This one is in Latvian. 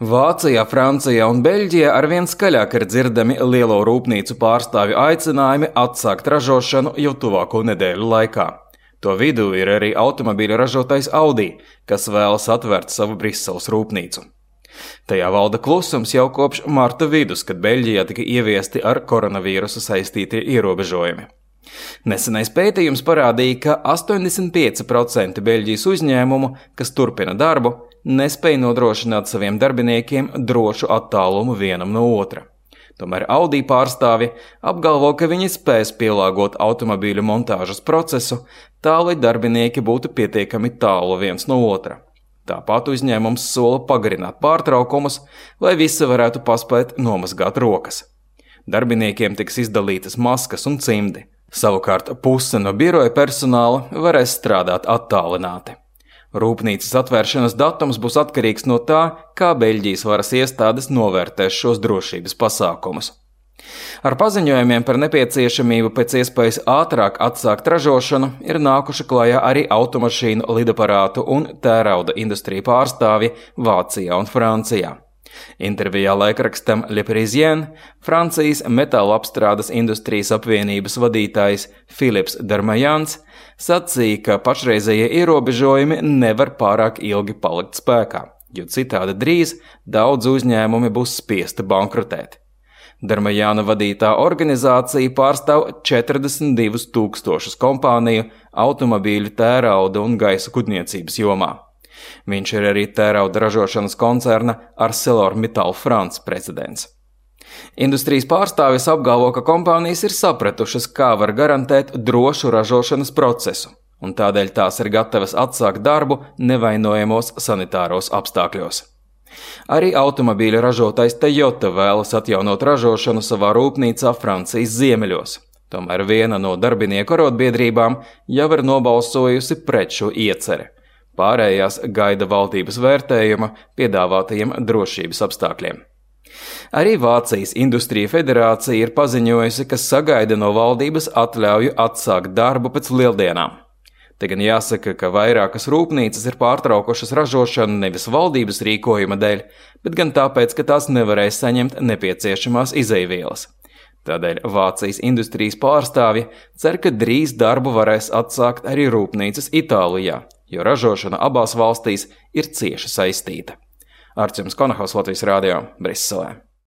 Vācijā, Francijā un Beļģijā arvien skaļāk ir dzirdami lielo rūpnīcu pārstāvju aicinājumi atsākt ražošanu jau tuvāko nedēļu laikā. To vidū ir arī automobīļu ražotājs Audi, kas vēlas atvērt savu Briseles rūpnīcu. Tajā valda klusums jau kopš marta vidus, kad Beļģijā tika ieviesti ar koronavīrusu saistītie ierobežojumi. Nesenais pētījums parādīja, ka 85% Beļģijas uzņēmumu, kas turpina darbu, nespēja nodrošināt saviem darbiniekiem drošu attālumu vienam no otra. Tomēr Audi pārstāvji apgalvo, ka viņi spēs pielāgot automobīļu montāžas procesu tā, lai darbinieki būtu pietiekami tālu viens no otra. Tāpat uzņēmums sola pagarināt pārtraukumus, lai visi varētu paspēt nomazgāt rokas. Darbiniekiem tiks izdalītas maskas un cimdi. Savukārt puse no biroja personāla varēs strādāt attālināti. Rūpnīcas atvēršanas datums būs atkarīgs no tā, kā Beļģijas varas iestādes novērtēs šos drošības pasākumus. Ar paziņojumiem par nepieciešamību pēc iespējas ātrāk atsākt ražošanu ir nākuši klajā arī automašīnu, lidaparātu un tērauda industriju pārstāvji Vācijā un Francijā. Intervijā laikrakstam Le Parisien Francijas metāla apstrādes industrijas apvienības vadītājs Philips Darmajans sacīja, ka pašreizējie ierobežojumi nevar pārāk ilgi palikt spēkā, jo citādi drīz daudz uzņēmumi būs spiesti bankrotēt. Darmajāna vadītā organizācija pārstāv 42 000 kompāniju automobīļu, tērauda un gaisa kuģniecības jomā. Viņš ir arī tērauda ražošanas koncerna ArcelorMittal France precedents. Industrijas pārstāvis apgalvo, ka kompānijas ir sapratušas, kā var garantēt drošu ražošanas procesu, un tādēļ tās ir gatavas atsākt darbu nevainojamos sanitāros apstākļos. Arī automobīļa ražotājs Toyota vēlas atjaunot ražošanu savā rūpnīcā Francijas ziemeļos. Tomēr viena no darbinieku arotbiedrībām jau ir nobalsojusi pret šo ieceri. Pārējās gaida valdības vērtējuma piedāvātajiem drošības apstākļiem. Arī Vācijas Industrija federācija ir paziņojusi, ka sagaida no valdības atļauju atsākt darbu pēc lieldienām. Te gan jāsaka, ka vairākas rūpnīcas ir pārtraukušas ražošanu nevis valdības rīkojuma dēļ, bet gan tāpēc, ka tās nevarēs saņemt nepieciešamās izeivielas. Tādēļ Vācijas industrijas pārstāvji cer, ka drīz darbu varēs atsākt arī rūpnīcas Itālijā, jo ražošana abās valstīs ir cieši saistīta. Artjums Konahaus, Latvijas radio, Briselē.